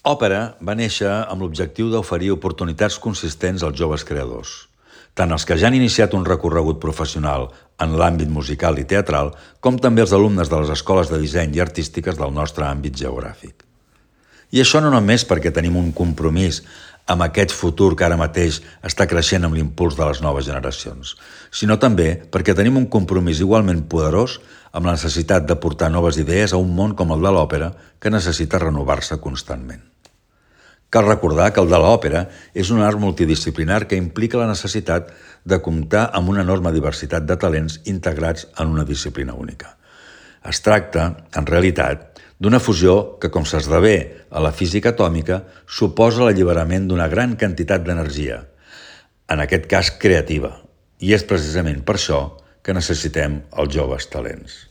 Òpera va néixer amb l'objectiu d'oferir oportunitats consistents als joves creadors, tant els que ja han iniciat un recorregut professional en l'àmbit musical i teatral, com també els alumnes de les escoles de disseny i artístiques del nostre àmbit geogràfic. I això no només perquè tenim un compromís amb aquest futur que ara mateix està creixent amb l'impuls de les noves generacions, sinó també perquè tenim un compromís igualment poderós amb la necessitat de portar noves idees a un món com el de l'òpera que necessita renovar-se constantment. Cal recordar que el de l'òpera és un art multidisciplinar que implica la necessitat de comptar amb una enorme diversitat de talents integrats en una disciplina única. Es tracta, en realitat, d'una fusió que, com s'esdevé a la física atòmica, suposa l'alliberament d'una gran quantitat d'energia, en aquest cas creativa, i és precisament per això que necessitem els joves talents.